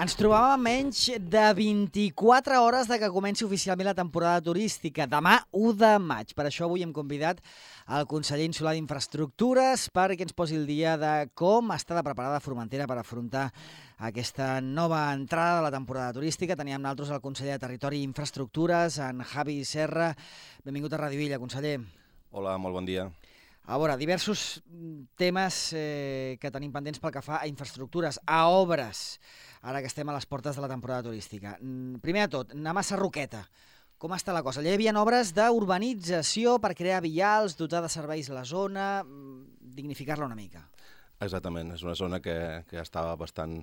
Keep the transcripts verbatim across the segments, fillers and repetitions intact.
Ens trobàvem a menys de vint-i-quatre hores de que comenci oficialment la temporada turística, demà u de maig. Per això avui hem convidat el conseller insular d'Infraestructures perquè ens posi el dia de com està de preparada Formentera per afrontar aquesta nova entrada de la temporada turística. Teníem nosaltres el conseller de Territori i Infraestructures, en Javi Serra. Benvingut a Ràdio Illa, conseller. Hola, molt bon dia. A veure, diversos temes eh, que tenim pendents pel que fa a infraestructures, a obres, ara que estem a les portes de la temporada turística. Primer de tot, anem a Sarroqueta. Com està la cosa? Allà hi havia obres d'urbanització per crear vials, dotar de serveis la zona, dignificar-la una mica. Exactament, és una zona que, que estava bastant,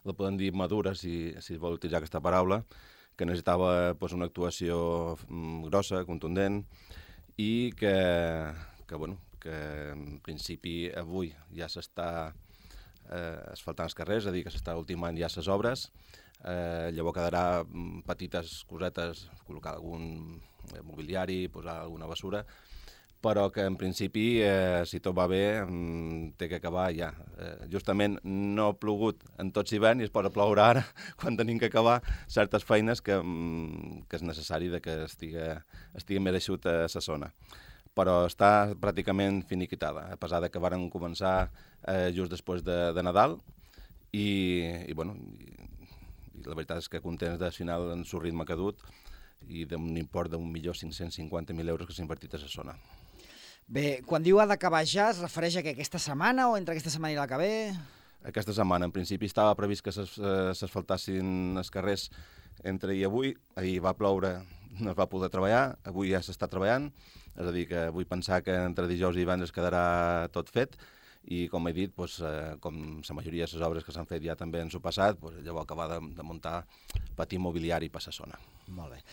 la podem dir madura, si, si vol utilitzar aquesta paraula, que necessitava pues, una actuació grossa, contundent, i que, que bueno, que en principi avui ja s'està eh, asfaltant els carrers, és a dir, que s'està ultimant ja les obres. Eh, llavors quedarà petites cosetes, col·locar algun mobiliari, posar alguna bessura, però que en principi, eh, si tot va bé, mm, té que acabar ja. Eh, justament no ha plogut en tot l'hivern i es posa a ploure ara, quan tenim que acabar certes feines que, mm, que és necessari de que estigui, estigui més eixut a la zona. Però està pràcticament finiquitada, a pesar de que varen començar eh, just després de, de Nadal i, i, bueno, i, i la veritat és que contents del final en su ritme que ha dut i d'un import d'un milió cinc-cents cinquanta mil euros que s'ha invertit a la zona. Bé, quan diu ha d'acabar ja, es refereix a que aquesta setmana o entre aquesta setmana i la que ve? Aquesta setmana, en principi, estava previst que s'asfaltassin els carrers entre ahir i avui. Ahir va ploure, no es va poder treballar, avui ja s'està treballant, és a dir, que vull pensar que entre dijous i divendres quedarà tot fet i, com he dit, doncs, eh, com la majoria de les obres que s'han fet ja també en su passat, doncs, llavors acabar de, de muntar petit mobiliari per la zona. Molt bé.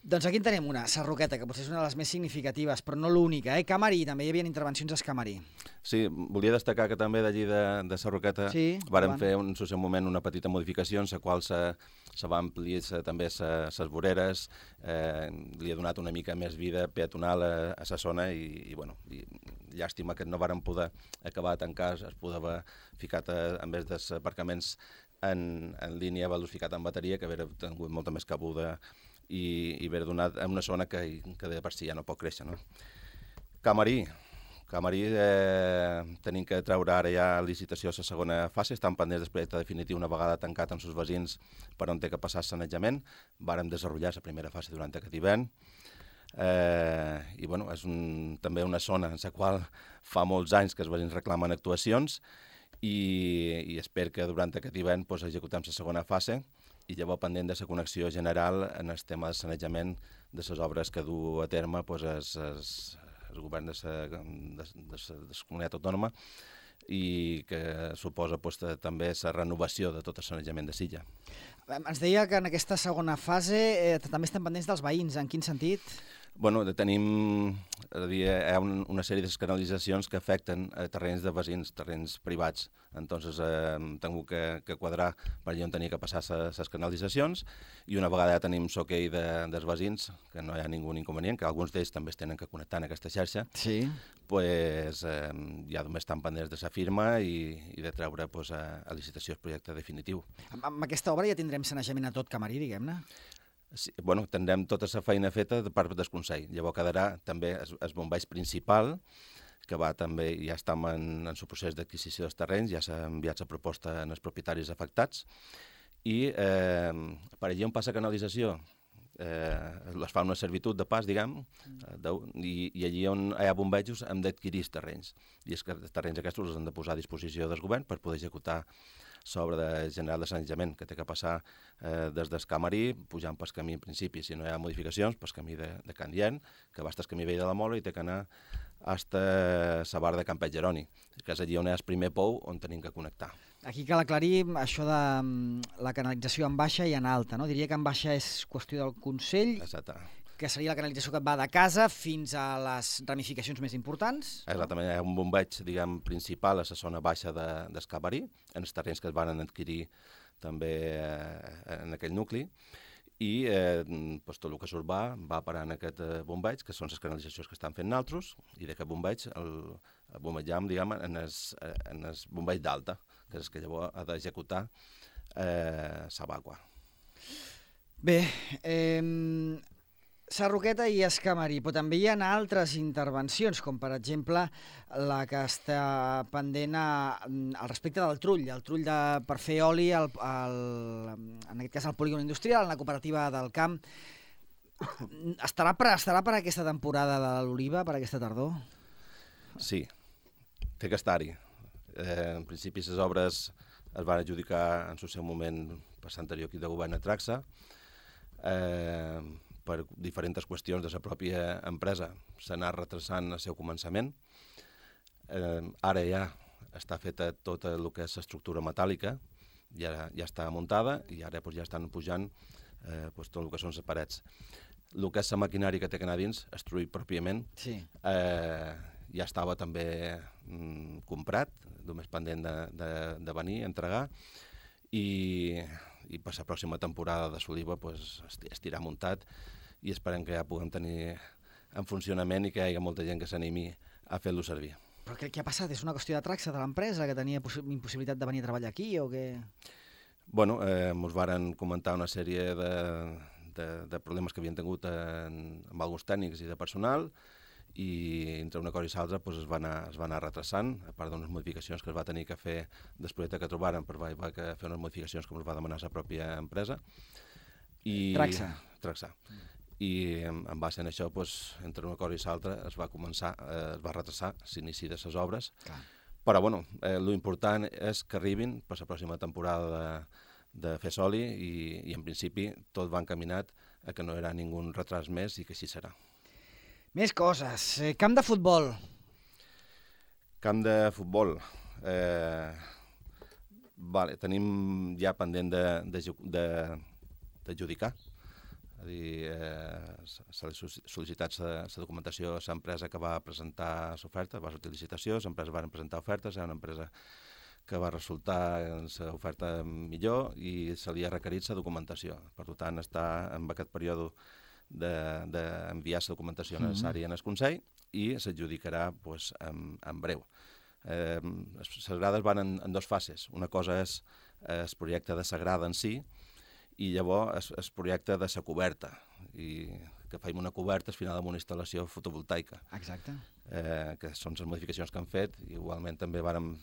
Doncs aquí en tenim una, Sarroqueta, que potser és una de les més significatives, però no l'única, eh? Camarí, també hi havia intervencions a Camarí. Sí, volia destacar que també d'allí de, de Sarroqueta sí, vàrem fer en un moment una petita modificació en la qual se, se va ampliar se, també les voreres, eh, li ha donat una mica més vida peatonal a, a la zona i, i, bueno, i llàstima que no vàrem poder acabar de tancar, es podia haver ficat, a, en vez dels aparcaments en, en línia velocificat en bateria, que hauria tingut molta més cabuda i, i haver donat en una zona que, que de per si ja no pot créixer. No? Camarí. Camarí eh, tenim que treure ara ja licitació a la segona fase, estan pendents del projecte definitiu una vegada tancat amb els veïns per on té que passar el sanejament. Vàrem desenvolupar la primera fase durant aquest hivern. Eh, I bueno, és un, també una zona en la qual fa molts anys que els veïns reclamen actuacions i, i espero que durant aquest hivern pues, executem la segona fase i llavors pendent de la connexió general en el tema de sanejament de les obres que du a terme pues, es, es, el govern de la comunitat autònoma i que suposa pues, també la renovació de tot el sanejament de Silla. Ens deia que en aquesta segona fase eh, també estem pendents dels veïns. En quin sentit? Bueno, tenim és a dir, hi ha un, una sèrie de canalitzacions que afecten a terrenys de veïns, terrenys privats. Entonces eh, hem tingut que, que quadrar per allà on tenia que passar les canalitzacions i una vegada ja tenim l'hoquei de, dels veïns, que no hi ha ningú inconvenient, que alguns d'ells també es tenen que connectar en aquesta xarxa, sí. pues, eh, ja només estan pendents de la firma i, i de treure pues, a, a licitació el projecte definitiu. Amb, amb aquesta obra ja tindrem sanejament a tot Camarí, diguem-ne? Sí, bueno, tindrem tota la feina feta de part del Consell. Llavors quedarà també el, el bombeig principal, que va també, ja estem en, en el procés d'adquisició dels terrenys, ja s'ha enviat la proposta als propietaris afectats, i eh, per allà on passa canalització, eh, es fa una servitud de pas, diguem, de, i, i allí on hi ha bombejos hem d'adquirir els terrenys. I és que els terrenys aquests els han de posar a disposició del govern per poder executar sobre de general de sanejament, que té que passar eh, des del Camarí, pujant pel camí en principi, si no hi ha modificacions, pel camí de, de Can Dient, que va estar el camí vell de la Mola i té que anar fins a la barra de Campet Jeroni, que és allí on hi ha el primer pou on tenim que connectar. Aquí cal aclarir això de la canalització en baixa i en alta, no? Diria que en baixa és qüestió del Consell, Exacte. que seria la canalització que va de casa fins a les ramificacions més importants. Exactament, hi ha un bombeig, diguem, principal a la zona baixa de, del Camarí, en els terrenys que es van adquirir també eh, en aquell nucli, i eh, pues, tot el que surt va, va parar en aquest eh, bombeig, que són les canalitzacions que estan fent naltros, i d'aquest bombeig el, el bombejam, diguem, en el, en el bombeig d'alta, que és el que llavors ha d'executar eh, s'evacua. Bé, eh, Sarroqueta i Escamarí, però també hi ha altres intervencions, com per exemple la que està pendent a, al respecte del trull, el trull de, per fer oli, al, al, en aquest cas al polígon industrial, en la cooperativa del camp. Estarà per, estarà per aquesta temporada de l'oliva, per aquesta tardor? Sí, té que estar-hi. Eh, en principi, les obres es van adjudicar en el seu moment per l'anterior equip de govern a Traxa, eh, per diferents qüestions de la pròpia empresa s'ha anat retrasant el seu començament. Eh, ara ja està feta tota el que és l'estructura metàl·lica, ja, ja està muntada i ara pues, ja estan pujant eh, pues, tot el que són les parets. El que és la maquinària que té que anar dins, estruït pròpiament, sí. eh, ja estava també mm, comprat, només pendent de, de, de venir a entregar, i, i per la pròxima temporada de l'oliva pues, estirà muntat i esperem que ja puguem tenir en funcionament i que hi hagi molta gent que s'animi a fer-lo servir. Però què, què ha passat? És una qüestió de Traxa de l'empresa, que tenia impossibilitat de venir a treballar aquí o què? Bueno, eh, ens varen comentar una sèrie de, de, de problemes que havien tingut en, amb alguns tècnics i de personal, i entre una cosa i l'altra pues, es, va anar, es va anar retrasant, a part d'unes modificacions que es va tenir que fer després que trobaren, per va, va fer unes modificacions que ens va demanar la pròpia empresa. I, Traxa. Traxa. Mm. I en, en base a això, pues, entre una cosa i l'altra, es va començar, eh, es va retrasar l'inici de les obres. Clar. Però, bueno, eh, l'important és que arribin per la pròxima temporada de, de fer soli i, i, en principi, tot va encaminat a que no hi haurà ningú retras més i que així serà. Més coses. Camp de futbol. Camp de futbol. Eh, vale, tenim ja pendent d'adjudicar. És a dir, eh, s'ha sol·licitat la documentació a l'empresa que va presentar l'oferta, va sortir licitació, l'empresa va presentar ofertes, hi ha una empresa que va resultar en l'oferta millor i se li ha requerit la documentació. Per tant, està en aquest període d'enviar la documentació necessària en el Consell i s'adjudicarà pues, en, en breu. Eh, les grades van en, en dues fases. Una cosa és el projecte de la grada en si i llavors el projecte de la coberta, i que fem una coberta al final amb una instal·lació fotovoltaica. Exacte. Eh, que són les modificacions que han fet. Igualment també vàrem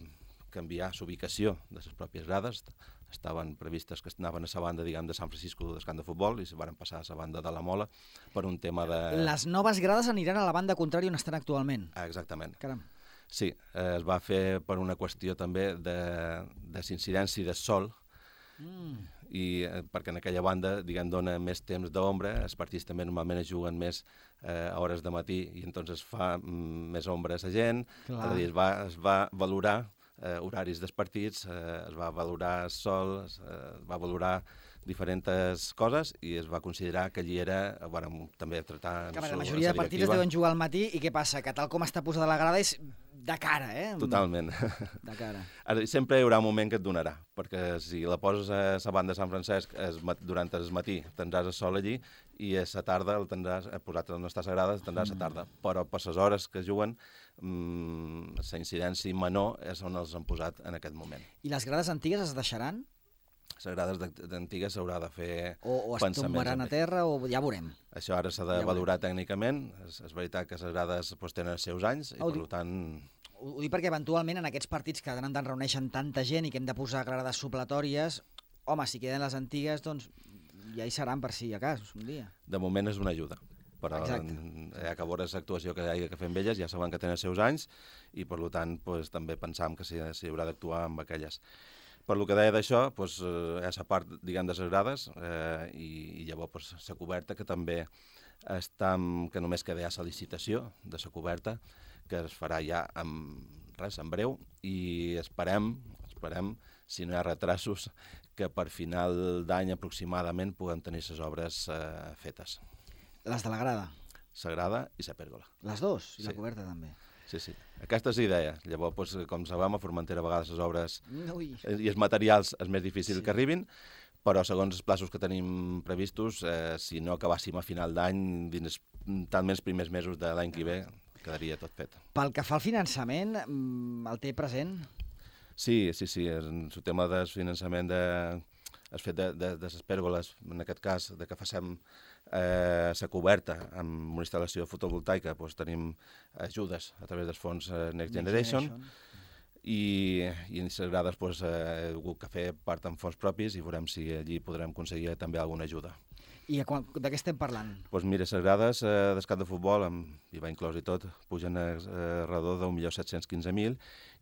canviar l'ubicació de les pròpies grades. Estaven previstes que anaven a la banda, diguem, de Sant Francisco del camp de futbol i se van passar a la banda de la Mola per un tema de... Les noves grades aniran a la banda contrària on estan actualment. Ah, exactament. Caram. Sí, eh, es va fer per una qüestió també de, de l'incidència del sol mm. i eh, perquè en aquella banda, diguem, dona més temps d'ombra, els partits també normalment es juguen més eh, a hores de matí i entonces fa mm, més ombra a la gent. Clar. És a dir, es va, es va valorar Eh, horaris dels partits, eh, es va valorar el sol, es eh, va valorar diferents coses i es va considerar que allí era, bueno, també tractar... Que la majoria de partits es deuen jugar al matí i què passa? Que tal com està posada la grada és de cara, eh? Totalment. De cara. Ara, sempre hi haurà un moment que et donarà, perquè si la poses a la banda de Sant Francesc es, durant el matí tindràs el sol allí i a la tarda el tindràs, posat on està sagrada, el tindràs a la tarda. Però per les hores que juguen, mmm, la incidència menor és on els han posat en aquest moment. I les grades antigues es deixaran? Les grades antigues s'haurà de fer o, o es tombaran a terra o ja veurem. Això ara s'ha de ja valorar veurem. Tècnicament. És, és veritat que les grades pues, tenen els seus anys i ho per dic, tant... Ho, ho dic perquè eventualment en aquests partits que de tant en tant reuneixen tanta gent i que hem de posar grades supletòries, home, si queden les antigues, doncs ja hi seran per si a cas un dia. De moment és una ajuda. Però exacte. Ja que veure l'actuació que hi ha que fer amb elles, ja saben que tenen els seus anys i per tant pues, també pensam que s'hi si haurà d'actuar amb aquelles. Per lo que deia d'això, doncs, eh, és a part, diguem, de les grades eh, i, i llavors pues, la coberta, que també està, que només queda ja la licitació de la coberta, que es farà ja en, res, en breu, i esperem, esperem, si no hi ha retrasos, que per final d'any aproximadament puguem tenir les obres eh, fetes. Les de la grada? La grada i la pèrgola. Les dues? I sí. La coberta també? Sí, sí. Aquesta és la idea. Llavors, doncs, com sabem, a Formentera a vegades les obres Ui. i els materials és més difícil sí. que arribin, però segons els plaços que tenim previstos, eh, si no acabàssim a final d'any, dins talment els primers mesos de l'any que ve, quedaria tot fet. Pel que fa al finançament, el té present? Sí, sí, sí. El tema del finançament de, el fet de, de, de les pèrgoles, en aquest cas, de que facem la eh, coberta amb una instal·lació fotovoltaica, doncs tenim ajudes a través dels fons eh, Next Generation, Next Generation. i, i les grades doncs, eh, he hagut que fer part amb fons propis i veurem si allí podrem aconseguir també alguna ajuda. I de què estem parlant? Doncs mira, les grades eh, d'escat de futbol, amb I V A inclòs i tot, pugen a, a redor d'un milió set-cents quinze mil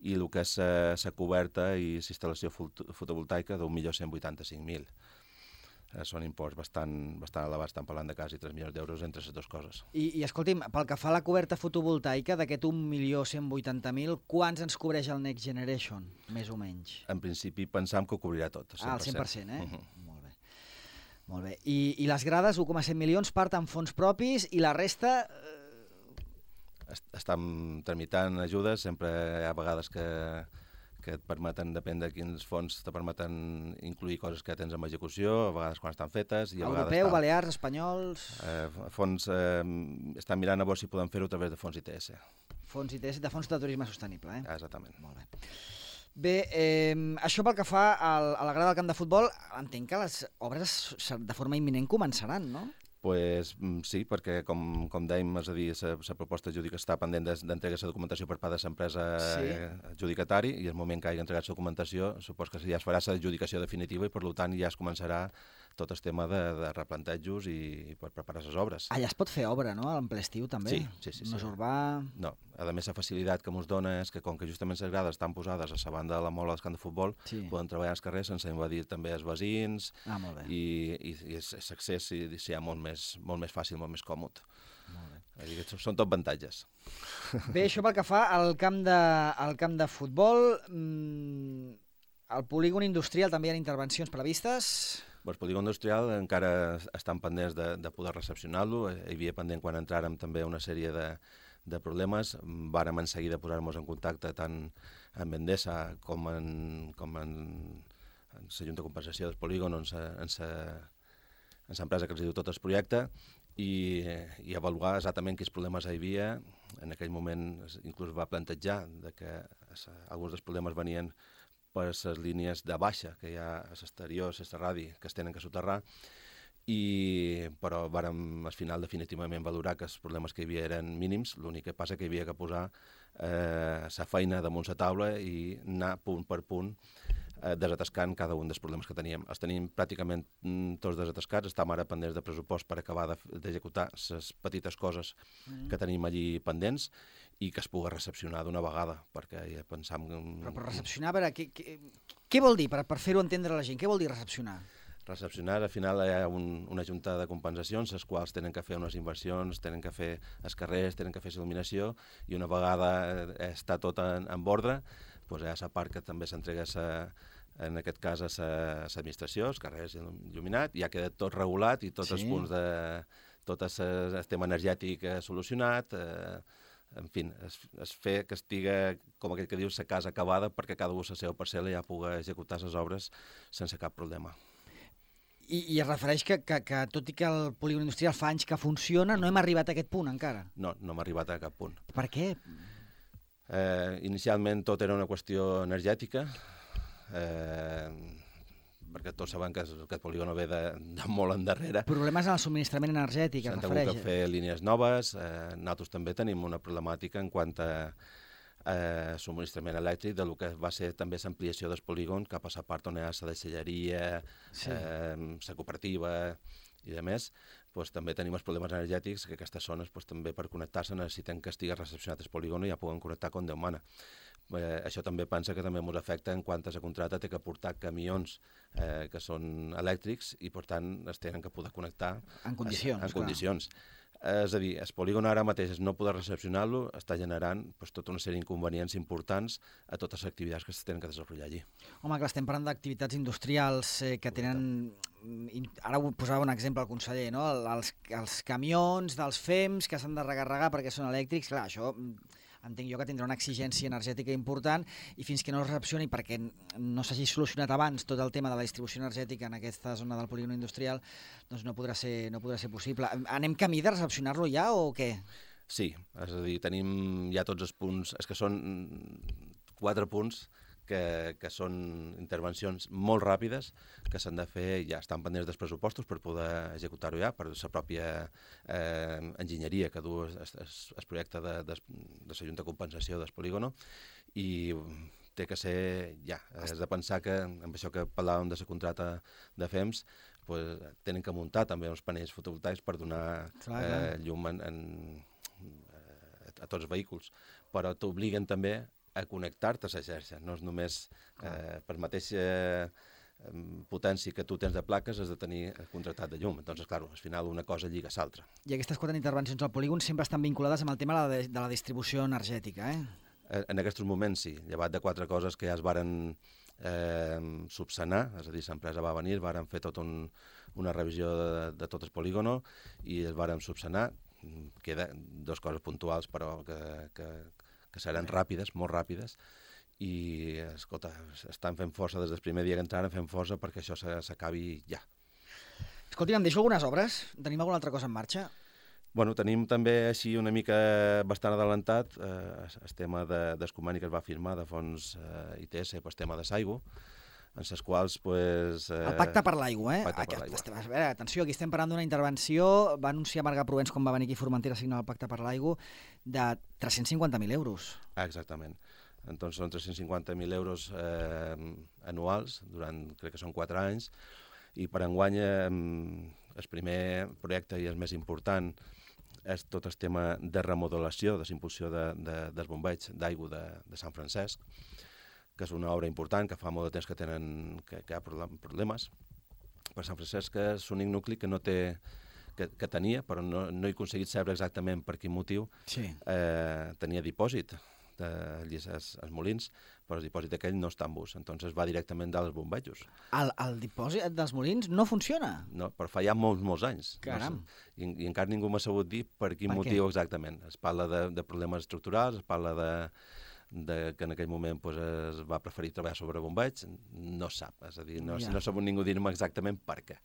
i el que és la coberta i la instal·lació fotovoltaica d'un milió cent vuitanta-cinc mil. Eh, són imports bastant, bastant elevats, estan parlant de quasi tres milions d'euros entre les dues coses. I, I escolti'm, pel que fa a la coberta fotovoltaica, d'aquest un milió cent vuitanta mil, quants ens cobreix el Next Generation, més o menys? En principi pensam que ho cobrirà tot, cent per cent. Ah, el cent per cent, eh? Uh-huh. Molt bé. Molt bé. I, i les grades, un coma set milions, part en fons propis i la resta... Est Estem tramitant ajudes, sempre hi ha vegades que, que et permeten, depèn de quins fons, te permeten incluir coses que tens en execució, a vegades quan estan fetes... I a Europeu, tal. Balears, espanyols... Eh, fons, eh, estan mirant a veure si podem fer-ho a través de fons I T S. Fons I T S, de fons de turisme sostenible, eh? Ah, exactament. Molt bé. Bé, eh, això pel que fa al, a la grada del camp de futbol, entenc que les obres de forma imminent començaran, no? Pues, sí, perquè, com, com dèiem, és a dir, la proposta judica està pendent d'entregar la documentació per part de l'empresa sí. adjudicatari i el moment que hagi entregat la documentació, supos que ja es farà l'adjudicació definitiva i, per tant, ja es començarà tot el tema de, de replantejos i, i per preparar les obres. Allà es pot fer obra, no?, en ple estiu, també? Sí, sí, sí. No és sí. urbà... No, a més, la facilitat que ens dona és que, com que justament les grades estan posades a la banda de la mola del camp de futbol, sí. poden treballar als carrers sense invadir també els veïns ah, molt bé. i, i, i l'accés sí, sí, molt, més, molt més fàcil, molt més còmode. Molt bé. Són tot avantatges. Bé, això pel que fa al camp de, al camp de futbol, mmm, al polígon industrial també hi ha intervencions previstes... El polígon industrial encara estan pendents de, de poder recepcionar-lo. Hi havia pendent quan entràrem també una sèrie de, de problemes. Vàrem en seguida posar-nos en contacte tant amb Endesa com en, com en, en la Junta de Compensació del polígon, en l'empresa que els diu tot el projecte, i, i avaluar exactament quins problemes hi havia. En aquell moment inclús va plantejar de que alguns dels problemes venien per les línies de baixa que hi ha a l'exterior, a radi, que es tenen que soterrar, i, però vàrem al final definitivament valorar que els problemes que hi havia eren mínims, l'únic que passa que hi havia que posar eh, la feina damunt la taula i anar punt per punt eh, desatascant cada un dels problemes que teníem. Els tenim pràcticament tots desatascats, estem ara pendents de pressupost per acabar d'executar les petites coses mm. que tenim allí pendents, i que es pugui recepcionar d'una vegada, perquè ja pensam... Però per recepcionar, a veure, què, què, què vol dir, per, per fer-ho entendre a la gent? Què vol dir recepcionar? Recepcionar, al final hi ha un, una junta de compensacions, les quals tenen que fer unes inversions, tenen que fer els carrers, tenen que fer il·luminació, i una vegada està tot en, en ordre, doncs hi ha la part que també s'entrega en aquest cas a l'administració, els carrers il·luminat, ja queda tot regulat i tots sí. els punts de... tot el tema energètic solucionat, eh, en fi, es, es fer que estigui, com aquell que diu, la casa acabada perquè cada un la seva parcel·la ja pugui executar les obres sense cap problema. I, i es refereix que, que, que tot i que el polígon industrial fa anys que funciona, no hem arribat a aquest punt encara? No, no hem arribat a cap punt. Per què? Eh, inicialment tot era una qüestió energètica, eh, perquè tots saben que aquest polígon ve de, de molt endarrere. Problemes en el subministrament energètic, es refereix. S'han hagut de fer línies noves. Eh, nosaltres també tenim una problemàtica en quant a eh, subministrament elèctric del que va ser també l'ampliació del polígon cap a la part on hi ha la deixalleria, sí. eh, la cooperativa i a més, doncs, també tenim els problemes energètics que aquestes zones doncs, també per connectar-se necessiten que estigui recepcionat el polígon i ja puguen connectar com Déu mana. Eh, això també pensa que també ens afecta en quant a la contrata té que portar camions eh, que són elèctrics i per tant es tenen que poder connectar en condicions. En, en condicions. Eh, és a dir, el polígon ara mateix no poder recepcionar-lo està generant pues, tota una sèrie d'inconvenients importants a totes les activitats que es tenen que desenvolupar allí. Home, clar, estem parlant d'activitats industrials eh, que tenen... Ara ho posava un exemple al conseller, no? Els, els camions dels F E Ms que s'han de recarregar perquè són elèctrics, clar, això... entenc jo que tindrà una exigència energètica important i fins que no es recepcioni perquè no s'hagi solucionat abans tot el tema de la distribució energètica en aquesta zona del polígon industrial, doncs no podrà ser, no podrà ser possible. Anem camí de recepcionar-lo ja o què? Sí, és a dir, tenim ja tots els punts, és que són quatre punts que, que són intervencions molt ràpides que s'han de fer, ja estan pendents dels pressupostos per poder executar-ho ja, per la pròpia eh, enginyeria que du el projecte de, de, de la Junta de Compensació del polígono, i té que ser ja. Has de pensar que, amb això que parlàvem de la contrata de F E M S, pues, tenen que muntar també uns panells fotovoltaics per donar clar, eh, clar. llum en, en, a tots els vehicles, però t'obliguen també a connectar-te a la xarxa, no és només eh, per mateixa eh, potència que tu tens de plaques has de tenir contractat de llum. Doncs, clar, al final una cosa lliga a l'altra. I aquestes quatre intervencions al polígon sempre estan vinculades amb el tema de la distribució energètica, eh? En aquests moments sí, llevat de quatre coses que ja es varen eh, subsanar, és a dir, l'empresa va venir, varen fer tota un, una revisió de, de tot el polígono i es varen subsanar. Queda dues coses puntuals, però que, que, que seran ràpides, molt ràpides, i, escolta, estan fent força des del primer dia que entraren, fent força perquè això s'acabi ja. Escolti, em deixo algunes obres? Tenim alguna altra cosa en marxa? Bueno, tenim també així una mica bastant adelantat eh, el tema de, del conveni que es va firmar de fons eh, I T S per el tema de l'aigua, en les quals... Pues, eh, el pacte per l'aigua, eh? Pacte per l'aigua. A veure, atenció, aquí estem parlant d'una intervenció, va anunciar Marga Provens quan va venir aquí a Formentera a signar el pacte per l'aigua, de tres-cents cinquanta mil euros. Ah, exactament. Entonces són tres-cents cinquanta mil euros eh, anuals, durant, crec que són quatre anys, i per enguany eh, el primer projecte i el més important és tot el tema de remodelació, de l'impulsió de, de, dels bombeigs d'aigua de, de Sant Francesc, que és una obra important, que fa molt de temps que tenen que, que hi ha problemes. Per Sant Francesc és l'únic nucli que no té, que, que tenia, però no, no he aconseguit saber exactament per quin motiu, sí. eh, tenia dipòsit allí als molins, però el dipòsit aquell no està en bus, entonces va directament dels bombejos. El, el dipòsit dels molins no funciona? No, però fa ja molts, molts anys. Caram. No sé, i, I encara ningú m'ha sabut dir per quin per motiu què? Exactament. Es parla de, de problemes estructurals, es parla de, de que en aquell moment pues, es va preferir treballar sobre bombeig, no sap, és a dir, no, ja. no ha sabut ningú dir-me exactament per què.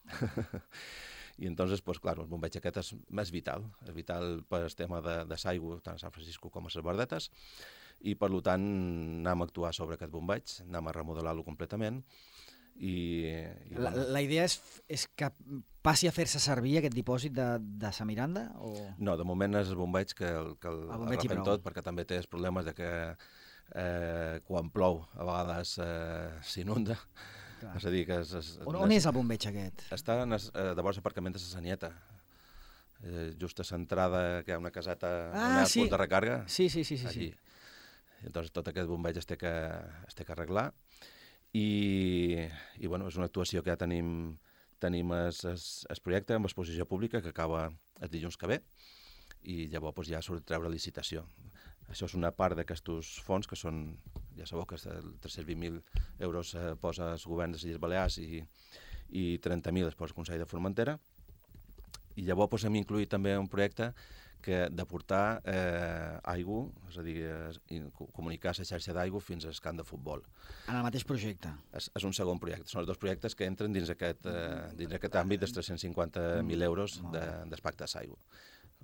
I entonces, pues, clar, el bombeig aquest és, és vital, és vital per el tema de, de l'aigua, tant a Sant Francisco com a les Verdetes, i per tant anem a actuar sobre aquest bombeig, anem a remodelar-lo completament. I, i la, bueno. la idea és, és que passi a fer-se servir aquest dipòsit de, de Sa Miranda? O... No, de moment és el bombeig que el, que el, el, el refem tot, perquè també té els problemes de que eh, quan plou a vegades eh, s'inunda. És a dir, que és, és, on, on és el bombeig aquest? Està en es, eh, de vora l'aparcament de la Sanieta, eh, just a l'entrada, que hi ha una caseta ah, on hi ha sí. punt de recarga. Sí, sí, sí. sí, allí. Sí. Entonces tot aquest bombeig es té que, es té que arreglar i, i bueno, és una actuació que ja tenim, tenim el, el, el projecte amb exposició pública que acaba el dilluns que ve i llavors pues, ja surt treure licitació. Això és una part d'aquests fons que són, ja sabeu que tres-cents vint mil euros eh, posa el govern de les Illes Balears i, i trenta mil es posa el Consell de Formentera, i llavors pues, hem incluït també un projecte que de portar eh, aigua, és a dir, eh, comunicar la xarxa d'aigua fins al camp de futbol. En el mateix projecte? És, és un segon projecte. Són els dos projectes que entren dins aquest, eh, dins aquest àmbit dels tres-cents cinquanta mil euros de, del pacte d'aigua.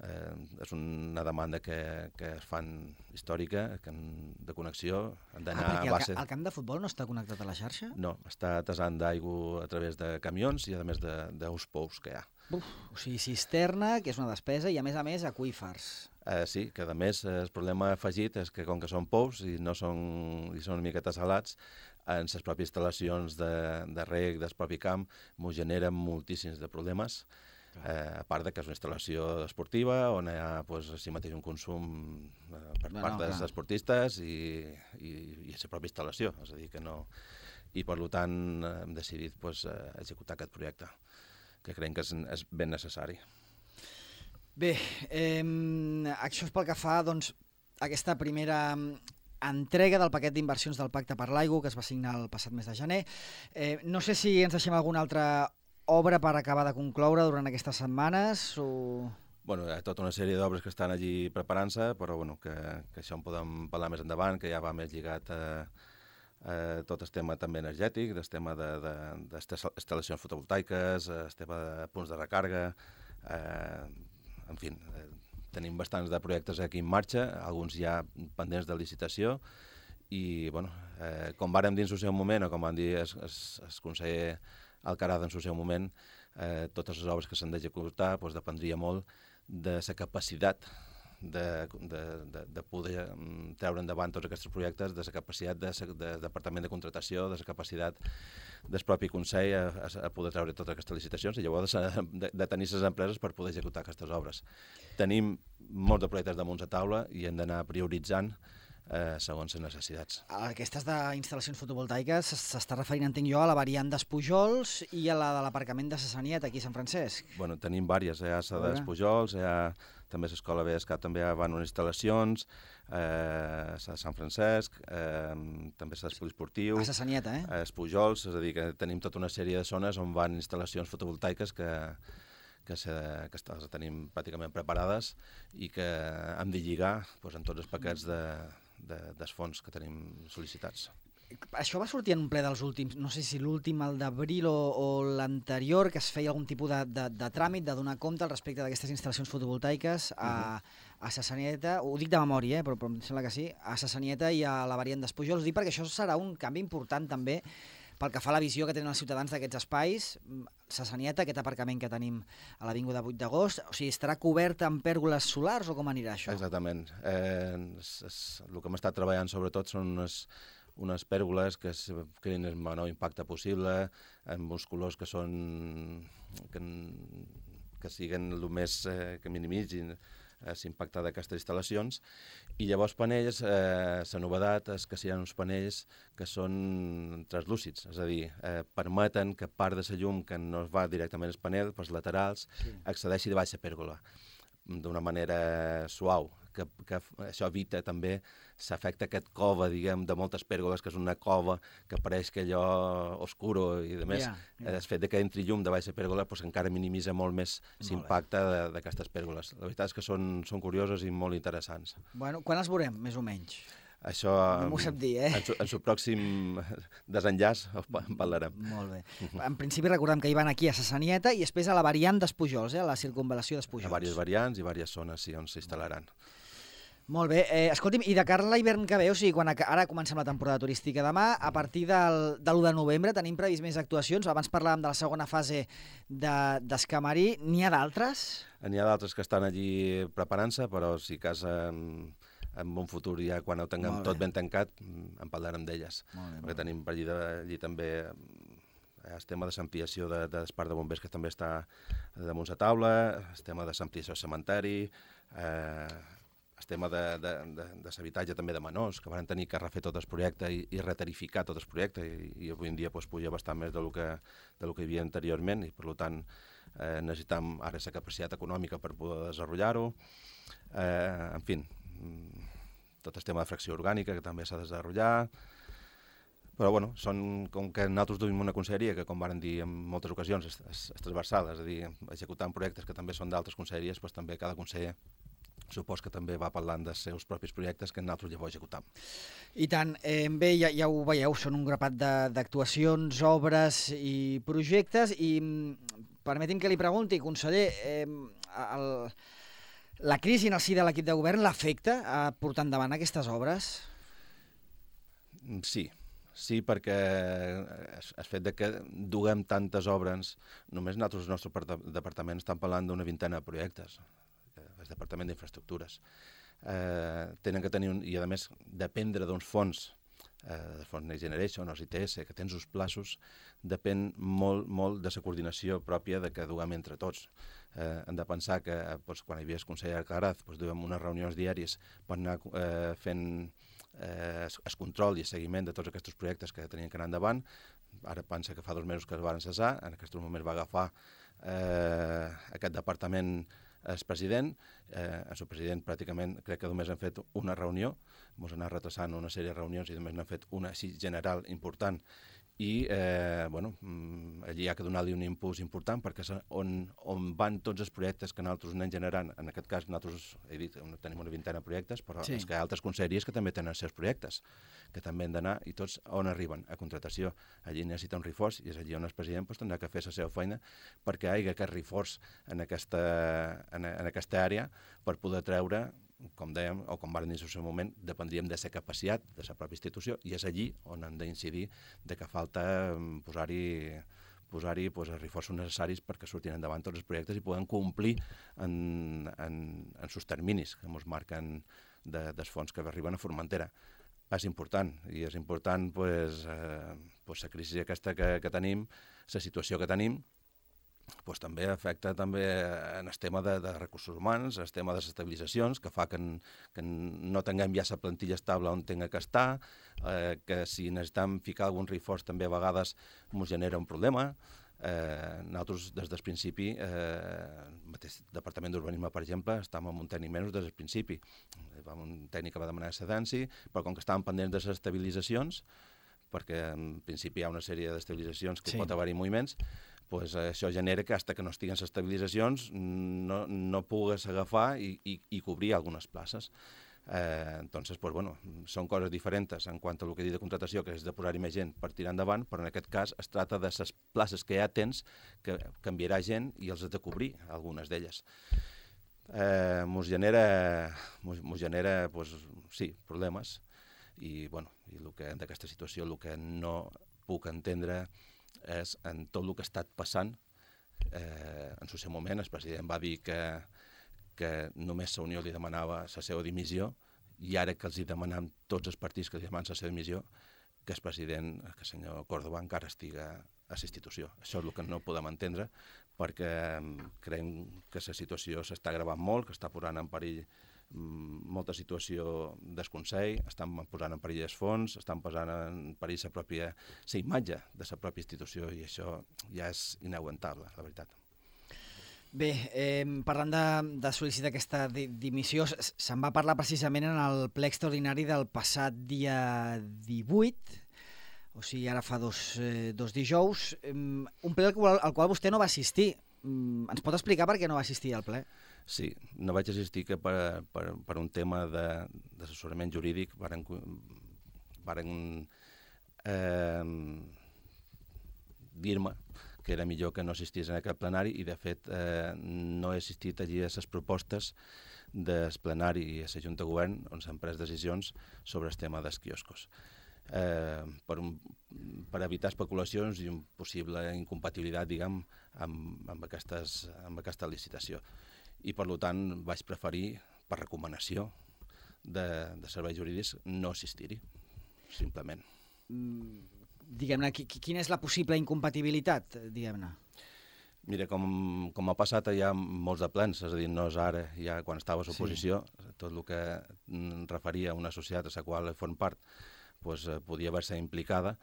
Eh, és una demanda que, que es fan històrica, que han, de connexió, han d'anar ah, a base... El, el camp de futbol no està connectat a la xarxa? No, està tasant d'aigua a través de camions i a més d'uns pous que hi ha. Uf, o sigui, cisterna, que és una despesa, i a més a més aquífers. Eh, sí, que a més el problema afegit és que com que són pous i no són, i són una miqueta salats, en les pròpies instal·lacions de, de reg del propi camp m'ho generen moltíssims de problemes, eh, a part de que és una instal·lació esportiva on hi ha pues, si mateix un consum eh, per no, part no, dels clar. esportistes i, i, i la pròpia instal·lació, és a dir que no... I per tant hem decidit pues, executar aquest projecte, que creiem que és, és ben necessari. Bé, eh, això és pel que fa doncs, a aquesta primera entrega del paquet d'inversions del Pacte per l'Aigua, que es va signar el passat mes de gener. Eh, no sé si ens deixem alguna altra obra per acabar de concloure durant aquestes setmanes o... Bueno, hi ha tota una sèrie d'obres que estan allí preparant-se, però bueno, que, que això en podem parlar més endavant, que ja va més lligat a, a tot el tema també energètic, el tema d'instal·lacions de, de, fotovoltaiques, el tema de punts de recarga, eh, en fi, eh, tenim bastants de projectes aquí en marxa, alguns ja pendents de licitació, i bueno, eh, com vàrem dir en el seu moment, o com van dir el, el, el conseller Alcaraz en el seu moment, eh, totes les obres que s'han d'executar doncs, dependria molt de la capacitat de, de, de, de poder treure endavant tots aquests projectes, de la capacitat del de, de departament de contratació, de la capacitat del propi Consell a, a, a poder treure totes aquestes licitacions i llavors de, de, de tenir les empreses per poder executar aquestes obres. Tenim molts de projectes damunt la taula i hem d'anar prioritzant Eh, segons les necessitats. Aquestes d'instal·lacions fotovoltaiques s'està referint, entenc jo, a la variant d'Espujols i a la de l'aparcament de Sassaniet, aquí a Sant Francesc. Bueno, tenim diverses, hi ha la d'Espujols, hi ha també l'Escola B E S C A, també hi van unes instal·lacions, eh, a Sant Francesc, eh, també a l'Espoliesportiu, a Sassanieta, eh? a Espujols, és a dir, que tenim tota una sèrie de zones on van instal·lacions fotovoltaiques que que, se, que les tenim pràcticament preparades i que hem de lligar doncs, en tots els paquets de, de, dels fons que tenim sol·licitats. Això va sortir en un ple dels últims, no sé si l'últim, el d'abril o, o l'anterior, que es feia algun tipus de, de, de tràmit, de donar compte al respecte d'aquestes instal·lacions fotovoltaiques a, uh-huh. a Sassanieta, ho dic de memòria, eh, però, però em sembla que sí, a Sassanieta i a la variant d'Espujols. Ho dic perquè això serà un canvi important també pel que fa a la visió que tenen els ciutadans d'aquests espais. Sassanieta, aquest aparcament que tenim a l'Avinguda vuit d'agost, o sigui, estarà cobert amb pèrgoles solars o com anirà això? Exactament. Eh, és, és, el que hem estat treballant sobretot són unes, unes pèrgoles que es creïn el menor impacte possible, amb uns colors que són que, que siguin el més eh, que minimitzin l'impacte d'aquestes instal·lacions, i llavors panells, eh, la novedat és que seran uns panells que són translúcids, és a dir, eh, permeten que part de la llum que no va directament al panell, pels laterals, sí. accedeixi de baix a pèrgola, d'una manera suau, que, que això evita també l'efecte aquest cova, diguem, de moltes pèrgoles, que és una cova que apareix que allò oscuro i de més. Yeah, yeah. El fet de que entri llum de baixa pèrgola pues, encara minimitza molt més l'impacte d'aquestes pèrgoles. La veritat és que són, són curioses i molt interessants. Bueno, quan els veurem, més o menys? Això, no m'ho sap dir, eh? En el pròxim desenllaç en parlarem. Molt bé. En principi recordem que hi van aquí a Sassanieta i després a la variant d'Espujols, eh? A la circunvalació d'Espujols. Hi ha diverses variants i diverses zones sí, on s'instal·laran. Molt bé. Eh, escolti'm, i de cara a l'hivern que ve, o sigui, quan a, ara comencem la temporada turística demà, a partir del, de l'u de novembre tenim previst més actuacions. Abans parlàvem de la segona fase d'Escamarí. De, N'hi ha d'altres? N'hi ha d'altres que estan allí preparant-se, però si cas en, en un futur ja quan ho tinguem tot ben tancat, en parlarem d'elles. Perquè tenim per allí, de, allí també el tema de l'ampliació de, de l'Esparc de Bombers, que també està damunt la taula, el tema de l'ampliació del cementeri, eh, el tema de, de, de, de l'habitatge també de menors, que van tenir que refer tot el projecte i, i retarificar tot el projecte, i, i avui en dia pues, puja bastant més del que, del que hi havia anteriorment, i per tant eh, necessitem ara la capacitat econòmica per poder desenvolupar-ho. Eh, en fi, tot el tema de fracció orgànica, que també s'ha de desenvolupar. Però, bueno, són com que nosaltres duim una conselleria que, com varen dir en moltes ocasions, és, és, és transversal, és a dir, executant projectes que també són d'altres conselleries, doncs també cada conseller supos que també va parlant dels seus propis projectes que nosaltres llavors executam. I tant. Eh, bé, ja, ja ho veieu, són un grapat d'actuacions, obres i projectes, i permeti'm que li pregunti, conseller, eh, el, la crisi en el si de l'equip de govern l'afecta a portar endavant aquestes obres? Sí. Sí, perquè el fet de que duguem tantes obres, només nosaltres, el nostre departament, estan parlant d'una vintena de projectes, el Departament d'Infraestructures. Eh, tenen que tenir, un, i a més, dependre d'uns fons, eh, de fons Next Generation, o I T S, que tens uns plaços, depèn molt, molt de la coordinació pròpia de que duguem entre tots. Eh, hem de pensar que doncs, quan hi havia el conseller Alcaraz, doncs, duguem unes reunions diàries per anar eh, fent eh, el control i el seguiment de tots aquests projectes que tenien que anar endavant. Ara pensa que fa dos mesos que es van cessar, en aquest moment va agafar eh, aquest departament el president, eh, el president pràcticament crec que només han fet una reunió, ens han anat retrasant una sèrie de reunions i només n'han fet una així general important, i eh, bueno, allí hi ha que donar-li un impuls important perquè és on, on van tots els projectes que nosaltres anem generant. En aquest cas nosaltres, he dit, tenim una vintena de projectes, però sí. És que hi ha altres conselleries que també tenen els seus projectes, que també han d'anar, i tots on arriben? A contratació. Allí necessita un reforç, i és allí on el president pues, tindrà que fer la seva feina perquè hi hagi aquest reforç en aquesta, en, en aquesta àrea per poder treure com dèiem, o com van dir en el seu moment, dependríem de la capacitat de la pròpia institució, i és allí on hem d'incidir de que falta posar-hi posar-hi pues, els reforços necessaris perquè surtin endavant tots els projectes i poden complir en, en, en els terminis que ens marquen de, dels fons que arriben a Formentera. És important, i és important pues, eh, pues, la crisi aquesta que, que tenim, la situació que tenim, pues, també afecta també en el tema de, de recursos humans, el tema de les estabilitzacions, que fa que, en, que no tinguem ja la plantilla estable on tinga que estar, eh, que si necessitem ficar algun reforç també a vegades ens genera un problema. Eh, nosaltres, des del principi, eh, el mateix Departament d'Urbanisme, per exemple, estàvem amb un tècnic menys des del principi. Un tècnic que va demanar excedència, però com que estàvem pendents de les estabilitzacions, perquè en principi hi ha una sèrie d'estabilitzacions que sí. pot haver-hi moviments, pues això genera que, fins que no estiguen les estabilitzacions, no, no pugues agafar i, i, i cobrir algunes places. Eh, entonces, pues, bueno, són coses diferents en quant a el que he dit de contratació, que és de posar-hi més gent per tirar endavant, però en aquest cas es tracta de les places que ja tens, que canviarà gent i els has de cobrir, algunes d'elles. Eh, mos genera, mos, mos genera pues, sí, problemes, i, bueno, i el que d'aquesta situació el que no puc entendre és en tot el que ha estat passant. Eh, en el seu moment el president va dir que, que només la Unió li demanava la seva dimissió, i ara que els hi demanem tots els partits que li demanen la seva dimissió, que el president, que el senyor Córdoba, encara estiga a la institució. Això és el que no podem entendre, perquè creiem que la situació s'està agravant molt, que està posant en perill molta situació del Consell, estan posant en perill els fons, estan posant en perill la pròpia la imatge de la pròpia institució, i això ja és inaguantable, la veritat. Bé, eh, parlant de, de sol·licitar aquesta di dimissió, se'n va parlar precisament en el ple extraordinari del passat dia divuit, o sigui, ara fa dos, eh, dos dijous, eh, un ple al qual, al qual vostè no va assistir. Mm, ens pot explicar per què no va assistir al ple? Sí, no vaig assistir que per, per, per un tema d'assessorament jurídic varen, varen eh, dir-me que era millor que no assistís en aquest plenari, i de fet eh, no he assistit allí a les propostes del plenari i a la Junta de Govern on s'han pres decisions sobre el tema dels quioscos. Eh, per, un, per evitar especulacions i una possible incompatibilitat, diguem, amb, amb, aquestes, amb aquesta licitació. I, per tant, vaig preferir, per recomanació de, de serveis jurídics, no assistir-hi, simplement. Mm, diguem-ne, quina és la possible incompatibilitat, diguem-ne? Mira, com, com ha passat ja molts de plens, és a dir, no és ara, ja quan estava a l'oposició, sí. Tot el que referia a una societat a la qual form part, pues, eh, podia haver-se implicada,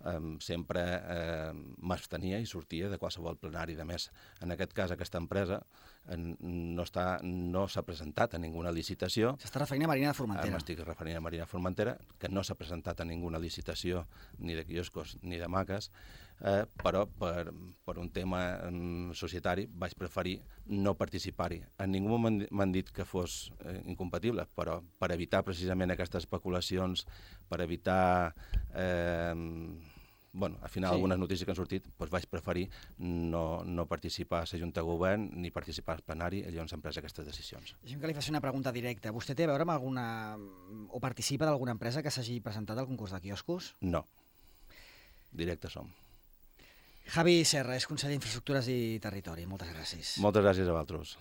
eh, sempre eh, m'abstenia i sortia de qualsevol plenari. De més, en aquest cas, aquesta empresa eh, no s'ha no presentat a ninguna licitació. S'està referint a Marina de Formentera. Eh, M'estic referint a Marina de Formentera, que no s'ha presentat a ninguna licitació ni de quioscos ni de maques, eh, però per, per un tema eh, societari vaig preferir no participar-hi. En ningú moment m'han dit que fos eh, incompatible, però per evitar precisament aquestes especulacions, per evitar... Eh, bueno, al final, sí. Algunes notícies que han sortit, doncs vaig preferir no, no participar a la Junta de Govern ni participar al plenari allà on s'han pres aquestes decisions. Deixem que li faci una pregunta directa. Vostè té a veure amb alguna... o participa d'alguna empresa que s'hagi presentat al concurs de quioscos? No. Directe som. Javi Serra és conseller d'Infraestructures i Territori. Moltes gràcies. Moltes gràcies a vosaltres.